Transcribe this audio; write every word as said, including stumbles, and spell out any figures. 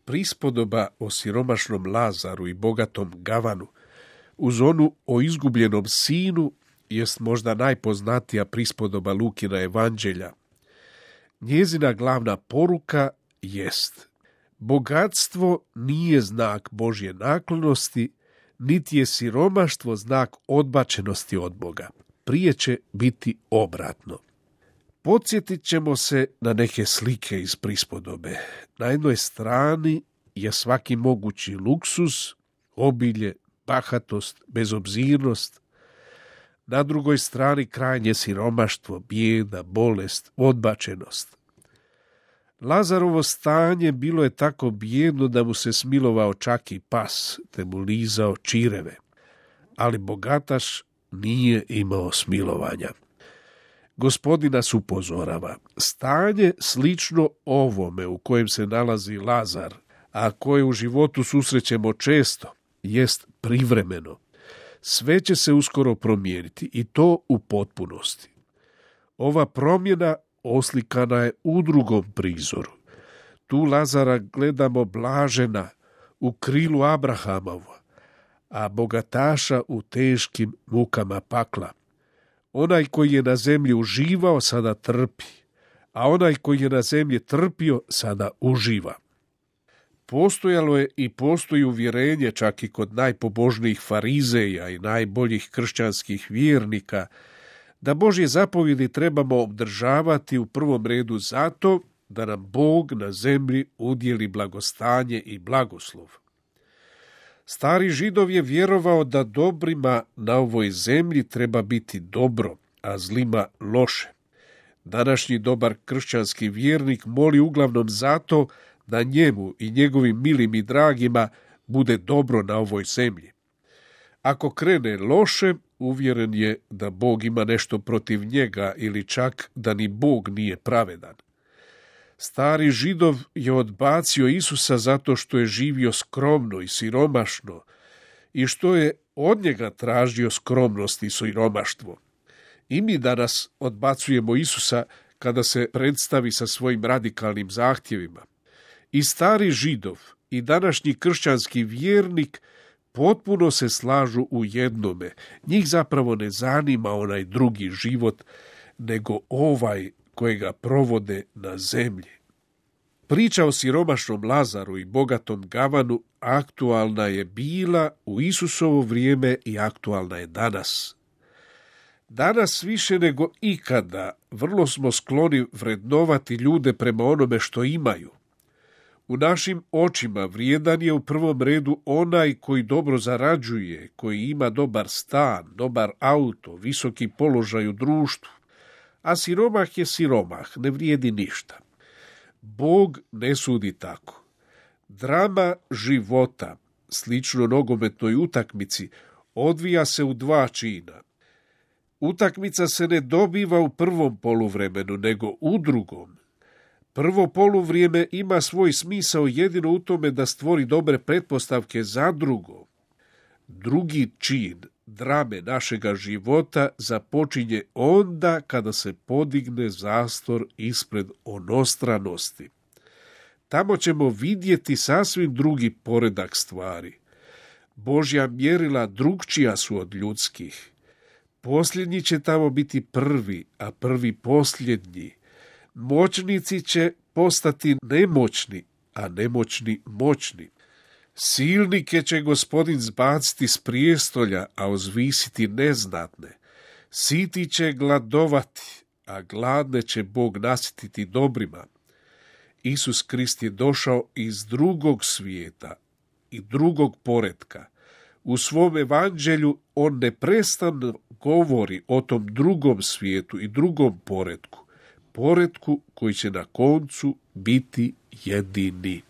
prispodoba o siromašnom Lazaru i bogatom Gavanu, uz onu o izgubljenom sinu, jest možda najpoznatija prispodoba Lukina evanđelja. Njezina glavna poruka jest: bogatstvo nije znak Božje naklonosti, niti je siromaštvo znak odbačenosti od Boga. Prije će biti obratno. Podsjetit ćemo se na neke slike iz prispodobe. Na jednoj strani je svaki mogući luksuz, obilje, bahatost, bezobzirnost. Na drugoj strani krajnje siromaštvo, bijeda, bolest, odbačenost. Lazarovo stanje bilo je tako bijedno da mu se smilovao čak i pas, te mu lizao čireve. Ali bogataš nije imao smilovanja. Gospodin nas upozorava. Stanje slično ovome u kojem se nalazi Lazar, a koje u životu susrećemo često, jest privremeno. Sve će se uskoro promijeniti i to u potpunosti. Ova promjena oslikana je u drugom prizoru. Tu Lazara gledamo blažena u krilu Abrahamova, a bogataša u teškim mukama pakla. Onaj koji je na zemlji uživao sada trpi, a onaj koji je na zemlji trpio sada uživa. Postojalo je i postoji uvjerenje čak i kod najpobožnijih farizeja i najboljih kršćanskih vjernika da Božje zapovjedi trebamo obdržavati u prvom redu zato da nam Bog na zemlji udjeli blagostanje i blagoslov. Stari Židov je vjerovao da dobrima na ovoj zemlji treba biti dobro, a zlima loše. Današnji dobar kršćanski vjernik moli uglavnom zato da njemu i njegovim milim i dragima bude dobro na ovoj zemlji. Ako krene loše, uvjeren je da Bog ima nešto protiv njega ili čak da ni Bog nije pravedan. Stari Židov je odbacio Isusa zato što je živio skromno i siromašno i što je od njega tražio skromnost i siromaštvo. I mi danas odbacujemo Isusa kada se predstavi sa svojim radikalnim zahtjevima. I stari Židov i današnji kršćanski vjernik potpuno se slažu u jednome. Njih zapravo ne zanima onaj drugi život, nego ovaj kojega provode na zemlji. Priča o siromašnom Lazaru i bogatom Gavanu aktualna je bila u Isusovo vrijeme i aktualna je danas. Danas više nego ikada vrlo smo skloni vrednovati ljude prema onome što imaju. U našim očima vrijedan je u prvom redu onaj koji dobro zarađuje, koji ima dobar stan, dobar auto, visoki položaj u društvu, a siromah je siromah, ne vrijedi ništa. Bog ne sudi tako. Drama života, slično nogometnoj utakmici, odvija se u dva čina. Utakmica se ne dobiva u prvom poluvremenu, nego u drugom. Prvo poluvrijeme ima svoj smisao jedino u tome da stvori dobre pretpostavke za drugo. Drugi čin drame našega života započinje onda kada se podigne zastor ispred onostranosti. Tamo ćemo vidjeti sasvim drugi poredak stvari. Božja mjerila drukčija su od ljudskih. Posljednji će tamo biti prvi, a prvi posljednji. Moćnici će postati nemoćni, a nemoćni moćni. Silnike će Gospodin zbaciti s prijestolja, a uzvisiti neznatne. Siti će gladovati, a gladne će Bog nasititi dobrima. Isus Krist je došao iz drugog svijeta i drugog poretka. U svom evanđelju on neprestano govori o tom drugom svijetu i drugom poretku. Poretku koji će na koncu biti jedini.